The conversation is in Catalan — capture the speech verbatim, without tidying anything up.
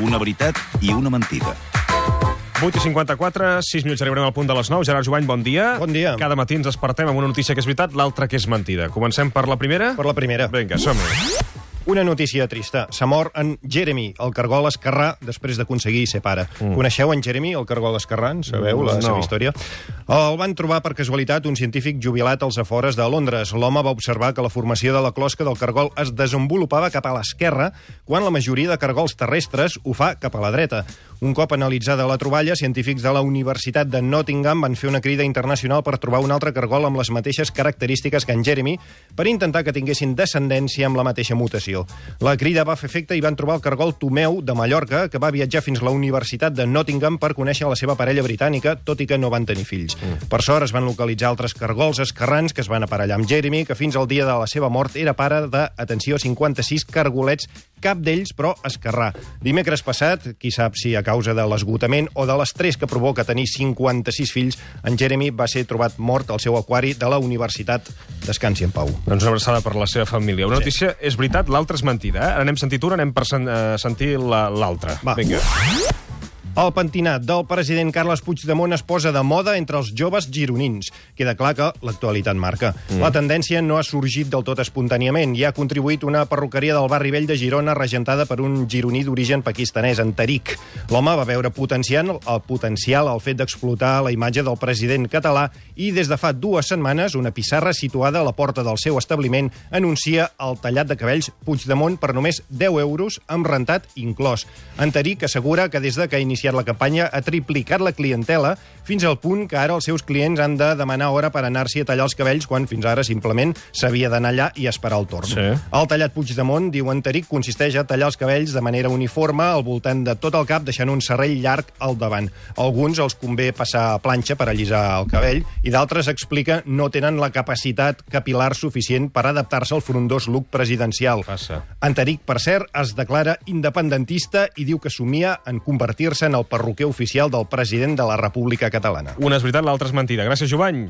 Una veritat i una mentida. vuit i cinquanta-quatre, sis minuts arribarem al punt de les nou. Gerard Jovany, bon dia. Bon dia. Cada matí ens despertem amb una notícia que és veritat, l'altra que és mentida. Comencem per la primera? Per la primera. Vinga, som-hi. Una notícia trista. S'ha mort en Jeremy, el cargol esquerrà, després d'aconseguir ser pare. Mm. Coneixeu en Jeremy, el cargol esquerrà? En sabeu la No. seva història? El van trobar per casualitat un científic jubilat als afores de Londres. L'home va observar que la formació de la closca del cargol es desenvolupava cap a l'esquerra, quan la majoria de cargols terrestres ho fa cap a la dreta. Un cop analitzada la troballa, científics de la Universitat de Nottingham van fer una crida internacional per trobar un altre cargol amb les mateixes característiques que en Jeremy, per intentar que tinguessin descendència amb la mateixa mutació. La crida va fer efecte i van trobar el cargol Tomeu de Mallorca, que va viatjar fins a la Universitat de Nottingham per conèixer la seva parella britànica, tot i que no van tenir fills. Mm. Per sort es van localitzar altres cargols esquerrans que es van aparellar amb Jeremy, que fins al dia de la seva mort era pare de, atenció, cinquanta-sis cargolets, cap d'ells, però, esquerrà. Dimecres passat, qui sap si a causa de l'esgotament o de l'estrès que provoca tenir cinquanta-sis fills, en Jeremy va ser trobat mort al seu aquari de la universitat. Descansi en pau. Doncs una abraçada per la seva família. Una Sí. notícia és veritat, l'altra és mentida. Eh? Ara n'hem sentit una, anem per sen uh, sentir l'altra. Va. Vinga. El pentinat del president Carles Puigdemont es posa de moda entre els joves gironins. Queda clar que l'actualitat marca. Mm. La tendència no ha sorgit del tot espontàniament. Hi ha contribuït una perruqueria del barri vell de Girona regentada per un gironí d'origen pakistanès, en Tariq. L'home va veure potenciant el potencial al fet d'explotar la imatge del president català i des de fa dues setmanes una pissarra situada a la porta del seu establiment anuncia el tallat de cabells Puigdemont per només deu euros amb rentat inclòs. En Tariq assegura que des de que ha iniciat la campanya ha triplicat la clientela fins al punt que ara els seus clients han de demanar hora per anar-s'hi a tallar els cabells quan fins ara simplement s'havia d'anar allà i esperar el torn. Sí. El tallat Puigdemont, diu en Tariq, consisteix a tallar els cabells de manera uniforme al voltant de tot el cap, deixant un serrell llarg al davant. Alguns els convé passar a planxa per allisar el cabell i d'altres, explica, no tenen la capacitat capilar suficient per adaptar-se al frondós look presidencial. Passa. En Tariq, per cert, es declara independentista i diu que somia en convertir-se en el perruquer oficial del president de la República Catalana. Una és veritat, l'altra és mentida. Gràcies, Jovany.